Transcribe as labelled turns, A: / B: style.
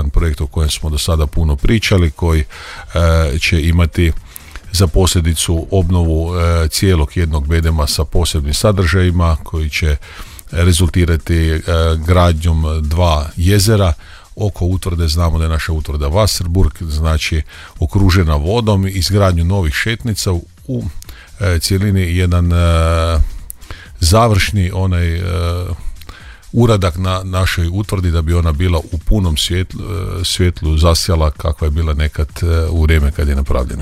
A: jedan projekt o kojem smo do sada puno pričali, koji će imati za posljedicu obnovu cijelog jednog bedema sa posebnim sadržajima, koji će rezultirati gradnjom 2 jezera. Oko utvrde znamo da je naša utvrda Wasserburg, znači okružena vodom, izgradnju novih šetnica, u cjelini jedan završni uradak na našoj utvrdi da bi ona bila u punom svjetlu zasjala kakva je bila nekad u vrijeme kad je napravljena.